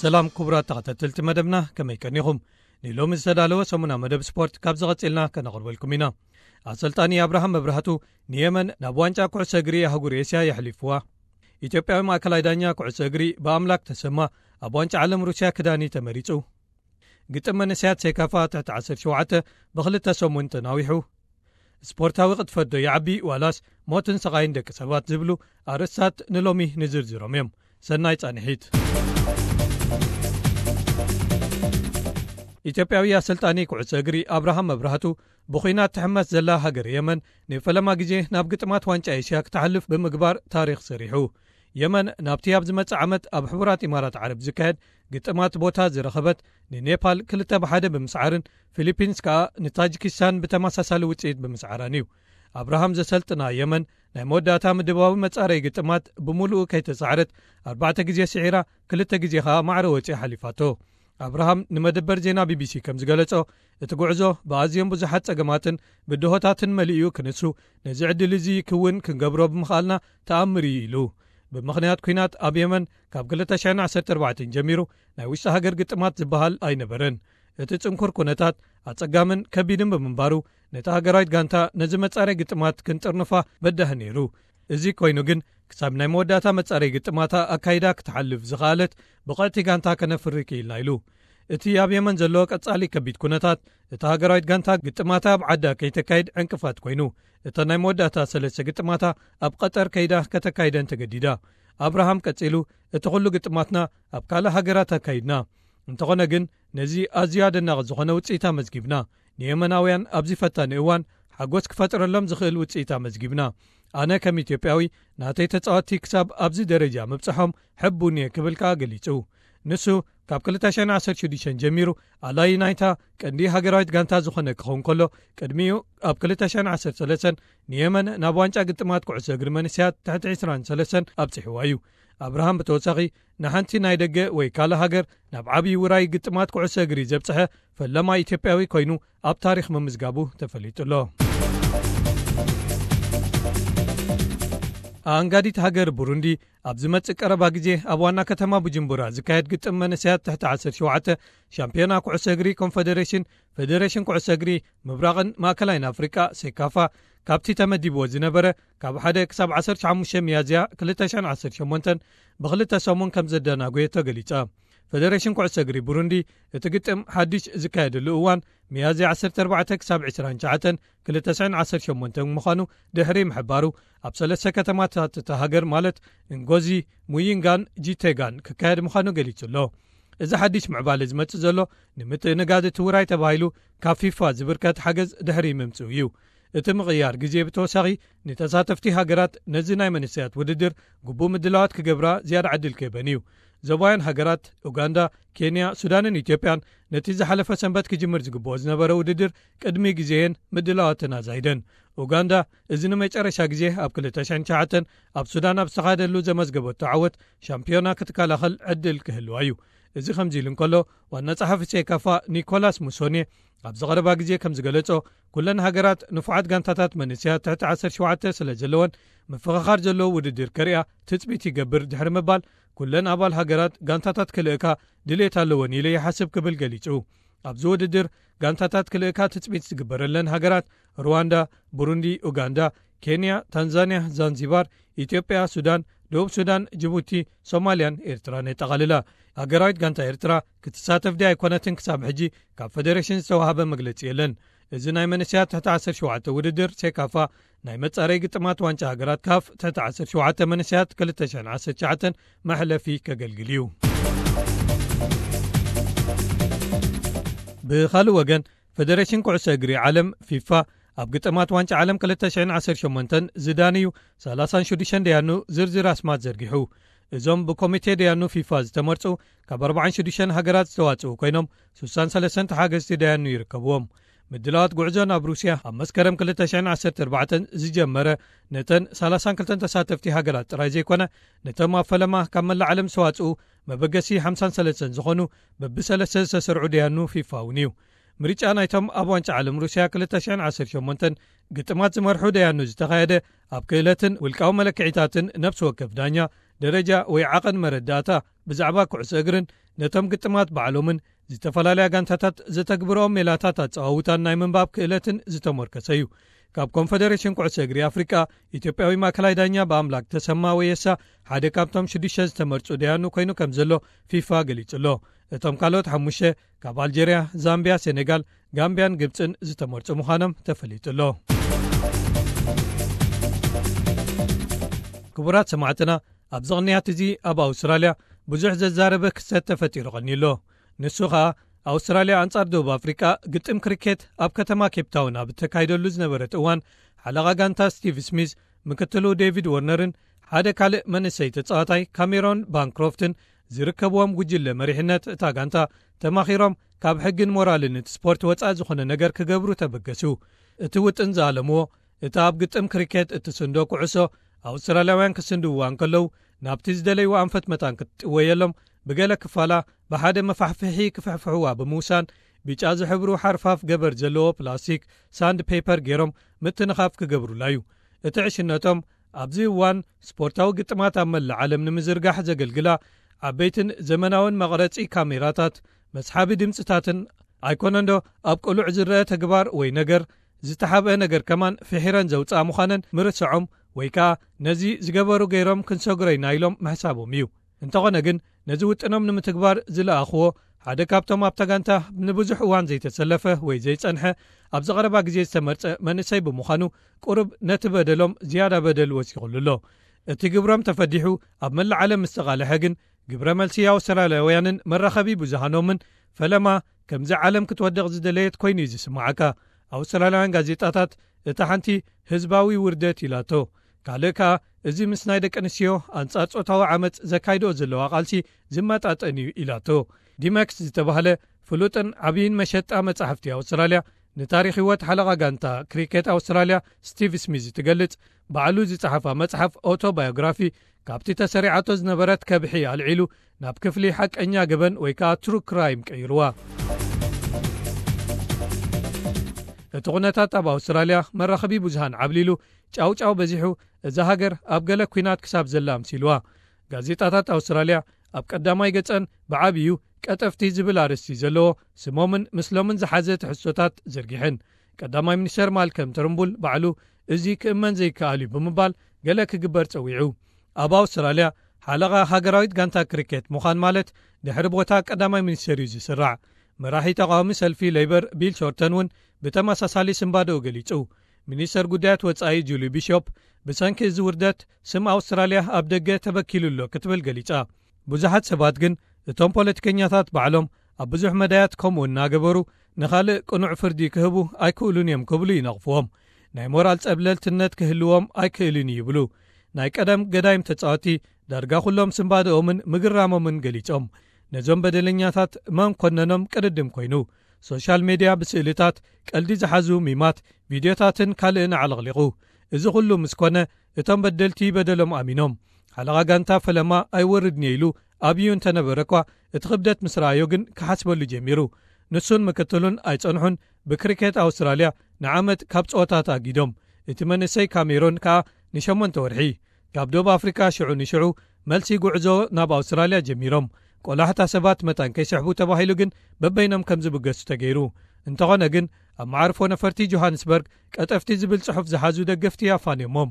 ሰላም ክቡራት ተኸታተልቲ መደብና፣ ከመይ ቀኒኹም? ንሎሚ ዝተዳለወ ሰሙና መደብ ስፖርት ካብ ዝቐጽልና ከነቕርበልኩም ኢና። ኣሰልጣኒ ኣብርሃም መብራህቱ ንየመን ናብ ዋንጫ ኩዕሶ እግሪ ኣህጉር ኤስያ የሕሊፍዋ። ኢትዮጵያዊ ማእከላይ ዳኛ ኩዕሶ እግሪ ብኣምላክ ተሰማ ኣብ ዋንጫ ዓለም ሩስያ ክዳኒ ተመሪጹ። ግጥም መንእሰያት ሴካፋ ትሕቲ ዓሰርተ ሸውዓተ ብኽልተ ሰሙን ተናዊሑ። ስፖርታዊ ቅጥፈት ዶ ይዓቢ ዋላስ ሞትን ስቓይን ደቂ ሰባት ዝብሉ ኣርእስታት ንሎሚ ንዝርዝሮም እዮም። ሰናይ ጻንሒት። ኢትዮጵያዊ ኣሰልጣኒ ኩዕሶ እግሪ ኣብርሃም መብራህቱ ብኹናት ትሕመስ ዘላ ሃገር የመን ንፈለማ ግዜ ናብ ግጥማት ዋንጫ ኤስያ ክትሓልፍ ብምግባር ታሪኽ ሰሪሑ። የመን ናብቲ ኣብ ዝመጽእ ዓመት ኣብ ሕቡራት ኢማራት ዓረብ ዝካየድ ግጥማት ቦታ ዝረኸበት ንኔፓል ክልተ ብ ሓደ ብምስዓርን ፊሊፒንስ ከኣ ንታጂኪስታን ብተመሳሳሊ ውጽኢት ብምስዓራን እዩ። ኣብርሃም ዘሰልጥና የመን ናይ መወዳእታ ምድባዊ መጻረይ ግጥማት ብምሉኡ ከይተጻዕረት ኣርባዕተ ግዜ ስዒራ፣ ክልተ ግዜ ከኣ ማዕረ ወጺኣ ሓሊፋቶ። ኣብርሃም ንመደበር ዜና ቢቢሲ ከም ዝገለጾ፣ እቲ ጉዕዞ ብኣዝዮም ብዙሓት ጸገማትን ብድሆታትን መሊኡ ክንሱ፣ ነዚ ዕድል እዚ ክውን ክንገብሮ ብምኽኣልና ተኣምር እዩ ኢሉ። ብምኽንያት ኲናት ኣብ የመን ካብ ክልተ ሽሕን ዓሰርተ ኣርባዕተን ጀሚሩ ናይ ውሽጢ ሃገር ግጥማት ዝበሃል ኣይነበረን። እቲ ጽንኩር ኩነታት ኣጸጋምን ከቢድን ብምንባሩ፣ ነታ ሃገራዊት ጋንታ ነዚ መጻረይ ግጥማት ክንጥርንፋ በዳህ ነይሩ። እዚ ኮይኑ ግን ክሳብ ናይ መወዳእታ መጻረይ ግጥማታ ኣካይዳ ክትሓልፍ ዝኸኣለት ብቕዕቲ ጋንታ ከነፍሪ ክኢልና ኢሉ። እቲ ኣብ የመን ዘሎ ቀጻሊ ከቢድ ኩነታት እታ ሃገራዊት ጋንታ ግጥማታ ኣብ ዓዳ ከይተካይድ ዕንቅፋት ኮይኑ፣ እተን ናይ መወዳእታ ሰለስተ ግጥማታ ኣብ ቀጠር ከይዳ ከተካይደን ተገዲዳ። ኣብርሃም ቀጺሉ፣ እቲ ኩሉ ግጥማትና ኣብ ካልእ ሃገራት ኣካይድና። እንተኾነ ግን ነዚ ኣዝዩ ኣደናቒ ዝኾነ ውጽኢት ኣመዝጊብና። ንየመናውያን ኣብዚ ፈታኒ እዋን ሓጎስ ክፈጥረሎም ዝኽእል ውጽኢት ኣመዝጊብና። ኣነ ከም ኢትዮጵያዊ ናተይ ተጻወትቲ ክሳብ ኣብዚ ደረጃ ምብጽሖም ሕቡን እየ ክብል ከኣ ገሊጹ። ንሱ ካብ ክልተ ሽሕን ዓሰርተ ሽዱሽተን ጀሚሩ ኣላዪ ናይታ ቀንዲ ሃገራዊት ጋንታ ዝኾነ ክኸውን ከሎ፣ ቅድሚኡ ኣብ ክልተ ሽሕን ዓሰርተ ሰለስተን ንየመን ናብ ዋንጫ ግጥማት ኩዕሶ እግሪ መንእሰያት ትሕቲ ዕስራን ሰለስተን ኣብጺሕዋ እዩ። ኣብርሃም ብተወሳኺ ንሓንቲ ናይ ደገ ወይ ካልእ ሃገር ናብ ዓብዪ ውራይ ግጥማት ኩዕሶ እግሪ ዘብጽሐ ፈለማይ ኢትዮጵያዊ ኮይኑ ኣብ ታሪኽ ምምዝጋቡ ተፈሊጡ ኣሎ። ኣንጋዲት ሃገር ቡሩንዲ ኣብ ዝመጽእ ቀረባ ግዜ ኣብ ዋና ከተማ ቡጁምቡራ ዝካየድ ግጥም መንእሰያት ትሕቲ ዓሰርተ ሸውዓተ ሻምፒዮና ኩዕሶ እግሪ ኮንፈደሬሽን፣ ፌደሬሽን ኩዕሶ እግሪ ምብራቕን ማእከላይን ኣፍሪቃ፣ ሴካፋ፣ ካብቲ ተመዲብዎ ዝነበረ ካብ ሓደ ክሳብ ዓሰርተ ሓሙሽተ ሚያዝያ ክልተ ሽሕን ዓሰርተ ሸሞንተን ብኽልተ ሰሙን ከም ዘደናጎየ ተገሊጸ። ፌደሬሽን ኩዕሶ እግሪ ቡሩንዲ እቲ ግጥም ሓድሽ ዝካየደሉ እዋን ሚያዝያ ዓሰርተ ኣርባዕተ ክሳብ ዕስራን ትሽዓተን ክልተ ሽሕን ዓሰርተ ሸሞንተን ምዃኑ ድሕሪ ምሕባሩ፣ ኣብ ሰለስተ ከተማታት እታ ሃገር ማለት እንጎዚ፣ ሙይንጋን ጂቴጋን ክካየድ ምዃኑ ገሊጹ ኣሎ። እዚ ሓድሽ ምዕባለ ዝመጽእ ዘሎ ንምትእንጋድ እቲ ውራይ ተባሂሉ ካብ ፊፋ ዝብርከት ሓገዝ ድሕሪ ምምጽኡ እዩ። እቲ ምቕያር ግዜ ብተወሳኺ ንተሳተፍቲ ሃገራት ነዚ ናይ መንእሰያት ውድድር ግቡእ ምድላዋት ክገብራ ዝያዳ ዕድል ክህበን እዩ። ዞባውያን ሃገራት ኡጋንዳ፣ ኬንያ፣ ሱዳንን ኢትዮጵያን ነቲ ዝሓለፈ ሰንበት ክጅምር ዝግብኦ ዝነበረ ውድድር ቅድሚ ግዜየን ምድላዋተን ኣዛይደን። ኡጋንዳ እዚ ንመጨረሻ ግዜ ኣብ ክልተ ሽሕን ትሽዓተን ኣብ ሱዳን ኣብ ዝተኻየደሉ ዘመዝገበቶ ዓወት ሻምፒዮና ክትከላኸል ዕድል ክህልዋ እዩ። እዚ ከምዚ ኢሉ እንከሎ፣ ዋና ጸሓፊ ሴካፋ ኒኮላስ ሙሶኔ ኣብዚ ቀረባ ግዜ ከም ዝገለጾ፣ ኩለን ሃገራት ንፉዓት ጋንታታት መንእሰያት ትሕቲ ዓሰርተ ሸውዓተ ስለ ዘለወን ምፍኽኻር ዘለዎ ውድድር ከርእያ ትጽቢት ይገብር ድሕሪ ምባል፣ ኩለን ኣባል ሃገራት ጋንታታት ክልእካ ድሌት ኣለወን ኢለ ይሓስብ ክብል ገሊጹ። ኣብዚ ውድድር ጋንታታት ክልእካ ትጽቢት ዝግበረለን ሃገራት ሩዋንዳ፣ ቡሩንዲ፣ ኡጋንዳ፣ ኬንያ፣ ታንዛንያ፣ ዛንዚባር፣ ኢትዮጵያ፣ ሱዳን፣ ደቡብ ሱዳን፣ ጅቡቲ፣ ሶማልያን ኤርትራን የጠቓልላ። ሃገራዊት ጋንታ ኤርትራ ክትሳተፍ ድያ ኣይኮነትን ክሳብ ሕጂ ካብ ፌደሬሽን ዝተዋህበ መግለጺ የለን። እዚ ናይ መንእሰያት ትሕቲ ዓሰርተ ሸውዓተ ውድድር ሴካፋ ናይ መጻረይ ግጥማት ዋንጫ ሃገራት ካፍ ትሕቲ ዓሰርተ ሸውዓተ መንእሰያት ክልተ ሽሕን ዓሰርተ ትሽዓተን መሕለፊ ከገልግል እዩ። ብኻልእ ወገን፣ ፌደሬሽን ኩዕሶ እግሪ ዓለም ፊፋ ኣብ ግጥማት ዋንጫ ዓለም ክልተ ሽሕን ዓሰርተ ሸሞንተን ዝዳንዩ ሰላሳን ሽዱሽተን ደያኑ ዝርዝር ኣስማት ዘርጊሑ። እዞም ብኮሚቴ ደያኑ ፊፋ ዝተመርጹ ካብ ኣርባዓን ሽዱሽተን ሃገራት ዝተዋጽኡ ኮይኖም፣ ሱሳን ሰለስተን ተሓገዝቲ ደያኑ ይርከብዎም። ምድላዋት ጉዕዞ ናብ ሩስያ ኣብ መስከረም ክልተ ሽሕን ዓሰርተ ኣርባዕተን ዝጀመረ፣ ነተን ሰላሳን ክልተን ተሳተፍቲ ሃገራት ጥራይ ዘይኮነ፣ ነቶም ኣብ ፈለማ ካብ መላእ ዓለም ዝተዋጽኡ መበገሲ ሓምሳን ሰለስተን ዝኾኑ በብሰለስተ ዝተሰርዑ ደያኑ ፊፋ እውን እዩ። ምርጫ ናይቶም ኣብ ዋንጫ ዓለም ሩስያ ክልተ ሽሕን ዓሰርተ ሸሞንተን ግጥማት ዝመርሑ ደያኑ ዝተኻየደ፣ ኣብ ክእለትን ውልቃዊ መለክዒታትን ነፍሲ ወከፍ ዳኛ ደረጃ ወይ ዓቐን መረዳእታ ብዛዕባ ኩዕሶ እግርን ነቶም ግጥማት ባዕሎምን ዝተፈላለያ ጋንታታት ዘተግብርኦም ሜላታት ኣጸዋውታን ናይ ምንባብ ክእለትን ዝተሞርከሰ እዩ። ካብ ኮንፈደሬሽን ኩዕሶ እግሪ ኣፍሪቃ፣ ኢትዮጵያዊ ማእከላይ ዳኛ ብኣምላክ ተሰማ ወየሳ ሓደ ካብቶም ሽዱሽተ ዝተመርጹ ደያኑ ኮይኑ ከም ዘሎ ፊፋ ገሊጹ ኣሎ። እቶም ካልኦት ሓሙሽተ ካብ ኣልጀርያ፣ ዛምቢያ፣ ሴኔጋል፣ ጋምቢያን ግብጽን ዝተመርጹ ምዃኖም ተፈሊጡ ኣሎ። ክቡራት ሰማዕትና፣ ኣብዚ ቅንያት እዚ ኣብ ኣውስትራልያ ብዙሕ ዘዛረበ ክስተት ተፈጢሩ ቀኒዩ ኣሎ። ንሱ ኸኣ፣ ኣውስትራልያ ኣንጻር ደቡብ ኣፍሪቃ ግጥም ክሪኬት ኣብ ከተማ ኬፕታውን ኣብ እተካይደሉ ዝነበረት እዋን፣ ሓለቓ ጋንታ ስቲቭ ስሚዝ፣ ምክትሉ ዴቪድ ወርነርን ሓደ ካልእ መንእሰይ ተጻዋታይ ካሜሮን ባንክሮፍትን ዝርከብዎም ጉጅለ መሪሕነት እታ ጋንታ ተማኺሮም ካብ ሕግን ሞራልን እቲ ስፖርት ወጻኢ ዝኾነ ነገር ክገብሩ ተበገሱ። እቲ ውጥን ዝኣለምዎ፣ እታ ኣብ ግጥም ክሪኬት እትስንዶ ኩዕሶ ኣውስትራልያውያን ክስንድውዋ እንከለዉ፣ ናብቲ ዝደለይዎ ኣንፈት መታን ክትጥወየሎም ብገለ ክፋላ ብሓደ መፋሕፍሒ ክፍሕፍሕዋ ብምውሳን፣ ብጫ ዝሕብሩ ሓርፋፍ ገበር ዘለዎ ፕላስቲክ ሳንድ ፔፐር ገይሮም ምትንኻፍ ክገብሩላ እዩ። እቲ ዕሽነቶም ኣብዚ እዋን ስፖርታዊ ግጥማት ኣብ መላእ ዓለም ንምዝርጋሕ ዘገልግላ ዓበይትን ዘመናውን መቕረጺ ካሜራታት፣ መስሓቢ ድምጽታትን ኣይኮነንዶ ኣብ ቅሉዕ ዝረአ ተግባር ወይ ነገር ዝተሓብአ ነገር ከማን ፍሒረን ዘውጽኣ ምዃነን ምርስዖም ወይ ከኣ ነዚ ዝገበሩ ገይሮም ክንሰግሮ ኢና ኢሎም ምሕሳቦም እዩ። እንተኾነ ግን ነዚ ውጥኖም ንምትግባር ዝለኣኽዎ ሓደ ካብቶም ኣብታ ጋንታ ንብዙሕ እዋን ዘይተሰለፈ ወይ ዘይጸንሐ ኣብዚ ቀረባ ግዜ ዝተመርጸ መንእሰይ ብምዃኑ ቁሩብ ነቲ በደሎም ዝያዳ በደል ወሲኹሉ ኣሎ። እቲ ግብሮም ተፈዲሑ ኣብ መላእ ዓለም ምስ ተቓልሐ ግን ግብረ መልሲ ኣውስትራልያውያንን መራኸቢ ብዙሃኖምን ፈለማ ከምዚ ዓለም ክትወድቕ ዝደለየት ኮይኑ እዩ ዝስምዓካ። ኣውስትራልያውያን ጋዜጣታት እታ ሓንቲ ህዝባዊ ውርደት ኢላቶ። ካልእ ከኣ እዚ ምስ ናይ ደቂ ኣንስትዮ ኣንጻር ጾታዊ ዓመጽ ዘካይድኦ ዘለዋ ቃልሲ ዝመጣጠን እዩ ኢላቶ። ዲመክስ ዝተባህለ ፍሉጥን ዓብይን መሸጣ መጻሕፍቲ ኣውስትራልያ ንታሪኽ ህይወት ሓለቓ ጋንታ ክሪኬት ኣውስትራልያ ስቲቭ ስሚዝ ትገልጽ፣ ባዕሉ ዝጸሓፋ መጽሓፍ ኦቶባዮግራፊ ካብቲ ተሰሪዓቶ ዝነበረት ከብሒ ኣልዒሉ ናብ ክፍሊ ሓቀኛ ገበን ወይ ከኣ ትሩ ክራይም ቀይርዋ። እቲ ኩነታት ኣብ ኣውስትራልያ መራኸቢ ብዙሃን ዓብሊሉ ጫውጫው በዚሑ እዛ ሃገር ኣብ ገለ ኲናት ክሳብ ዘላ ኣምሲልዋ። ጋዜጣታት ኣውስትራልያ ኣብ ቀዳማይ ገጸን ብዓብዩ ቀጠፍቲ ዝብል ኣርእስቲ ዘለዎ ስሞምን ምስሎምን ዝሓዘ ትሕዝቶታት ዘርጊሐን። ቀዳማይ ሚኒስተር ማልከም ተርምቡል ባዕሉ እዚ ክእመን ዘይከኣል እዩ ብምባል ገለ ክግበር ጸዊዑ። ኣብ ኣውስትራልያ ሓለቓ ሃገራዊት ጋንታ ክሪኬት ምዃን ማለት ድሕሪ ቦታ ቀዳማይ ሚኒስተር እዩ ዝስራዕ። መራሒ ተቓዋሚ ሰልፊ ሌበር ቢል ሾርተን እውን ብተመሳሳሊ ስንባደኡ ገሊጹ። ሚኒስተር ጉዳያት ወጻኢ ጁሊ ቢሾፕ ብሰንኪ እዚ ውርደት ስም ኣውስትራልያ ኣብ ደገ ተበኪሉ ኣሎ ክትብል ገሊጻ። ብዙሓት ሰባት ግን እቶም ፖለቲከኛታት ባዕሎም ኣብ ብዙሕ መዳያት ከምኡ እናገበሩ ንኻልእ ቅኑዕ ፍርዲ ክህቡ ኣይክእሉን እዮም ክብሉ ይነቕፍዎም። ናይ ሞራል ጸብለልትነት ክህልዎም ኣይክእልን እዩ ይብሉ። ናይ ቀደም ገዳይም ተጻወቲ ዳርጋ ኩሎም ስንባደኦምን ምግራሞምን ገሊጾም። ነዞም በደለኛታት መን ኮነኖም ቅድድም ኮይኑ። ሶሻል ሜድያ ብስእልታት፣ ቀልዲ ዝሓዙ ሚማት፣ ቪድዮታትን ካልእን ኣዕለቕሊቑ። እዚ ኩሉ ምስ ኮነ እቶም በደልቲ በደሎም ኣሚኖም። ሓለቓ ጋንታ ፈለማ ኣይወርድን እየ ኢሉ ኣብዩ እንተነበረ እኳ እቲ ክብደት ምስ ረኣዮ ግን ክሓስበሉ ጀሚሩ። ንሱን ምክትሉን ኣይጸንሑን ብክሪኬት ኣውስትራልያ ንዓመት ካብ ጸወታ ተኣጊዶም። እቲ መንእሰይ ካሜሮን ከኣ ንሸሞንተ ወርሒ። ካብ ደቡብ ኣፍሪቃ ሽዑ ንሽዑ መልሲ ጉዕዞ ናብ ኣውስትራልያ ጀሚሮም። ቆላሕታ ሰባት መታን ከይስሕቡ ተባሂሉ ግን በበይኖም ከም ዝብገሱ ተገይሩ። እንተኾነ ግን ኣብ መዓርፎ ነፈርቲ ጆሃንስበርግ ቀጠፍቲ ዝብል ጽሑፍ ዝሓዙ ደገፍቲ ኣፋንዮሞም።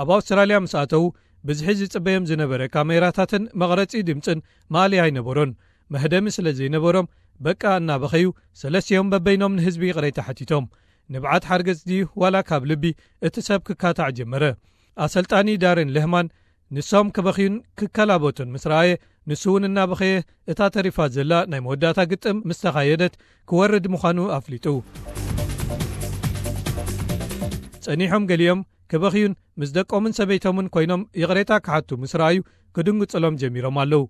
ኣብ ኣውስትራልያ ምስ ኣተዉ ብዝሒ ዝጽበዮም ዝነበረ ካሜራታትን መቕረጺ ድምጽን ማእለያ ኣይነበሮን። መህደሚ ስለ ዘይነበሮም በቃ እናበኸዩ ሰለስቲኦም በበይኖም ንህዝቢ ይቕሬታ ሓቲቶም። ንብዓት ሓርገጽ ድዩ ዋላ ካብ ልቢ እቲ ሰብ ክካታዕ ጀመረ። ኣሰልጣኒ ዳርን ለህማን ንሶም ክበኽዩን ክከላበቱን ምስ ረኣየ፣ ንሱ እውን እናበኸየ እታ ተሪፋ ዘላ ናይ መወዳእታ ግጥም ምስ ተኻየደት ክወርድ ምዃኑ ኣፍሊጡ። ጸኒሖም ገሊኦም ክበኽዩን ምስ ደቆምን ሰበይቶምን ኮይኖም ይቕሬታ ክሓቱ ምስ ረኣዩ ክድንግጽሎም ጀሚሮም ኣለዉ።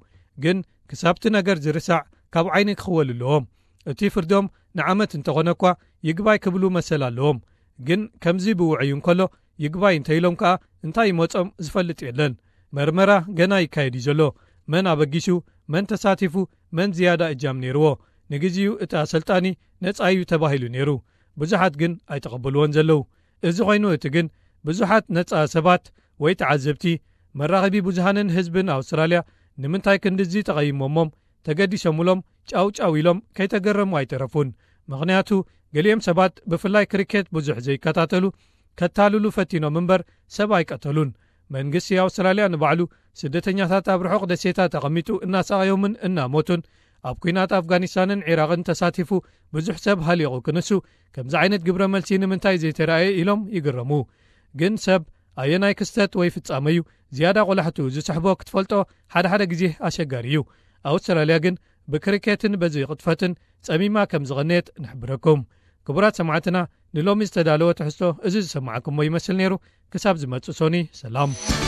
ግን ክሳብቲ ነገር ዝርሳዕ ካብ ዓይኒ ክኽወል ኣለዎም። እቲ ፍርዶም ንዓመት እንተኾነ እኳ ይግባይ ክብሉ መሰል ኣለዎም። ግን ከምዚ ብውዕዩ እንከሎ ይግባይ እንተኢሎም ከኣ እንታይ ይመጾም ዝፈልጥ የለን። መርመራ ገና ይካየድ እዩ ዘሎ። መን ኣበጊሱ፣ መን ተሳቲፉ፣ መን ዝያዳ እጃም ነይርዎ። ንግዜኡ እቲ ኣሰልጣኒ ነጻ እዩ ተባሂሉ ነይሩ። ብዙሓት ግን ኣይተቐበልዎን ዘለዉ። እዚ ኮይኑ እቲ ግን ብዙሓት ነጻ ሰባት ወይ ተዓዘብቲ መራኸቢ ብዙሃንን ህዝብን ኣውስትራልያ ንምንታይ ክንድዚ ተቐይሞሞም ተገዲሶምሎም ጫው ጫው ኢሎም ከይተገረሙ ኣይተረፉን። ምኽንያቱ ገሊኦም ሰባት ብፍላይ ክሪኬት ብዙሕ ዘይከታተሉ ከታልሉ ፈቲኖም እምበር ሰብ ኣይቀተሉን። መንግስቲ ኣውስትራልያ ንባዕሉ ስደተኛታት ኣብ ርሑቕ ደሴታት ኣቐሚጡ እናሳቐዮምን እናሞቱን ኣብ ኲናት ኣፍጋኒስታንን ዒራቕን ተሳቲፉ ብዙሕ ሰብ ሃሊቑ ክንሱ ከምዚ ዓይነት ግብረ መልሲ ንምንታይ ዘይተራእየ ኢሎም ይግረሙ። ግን ሰብ ኣየናይ ክስተት ወይ ፍጻመ እዩ ዝያዳ ቆላሕቱ ዝስሕቦ ክትፈልጦ ሓደ ሓደ ግዜ ኣሸጋሪ እዩ። ኣውስትራልያ ግን ብክሪኬትን በዚ ቅጥፈትን ጸሚማ ከም ዝቐነየት ንሕብረኩም። ክቡራት ሰማዕትና፣ ንሎሚ ዝተዳለወ ትሕዝቶ እዚ ዝሰማዕኩሞ ይመስል ነይሩ። ክሳብ ዝመጽእ ሶኒ ሰላም።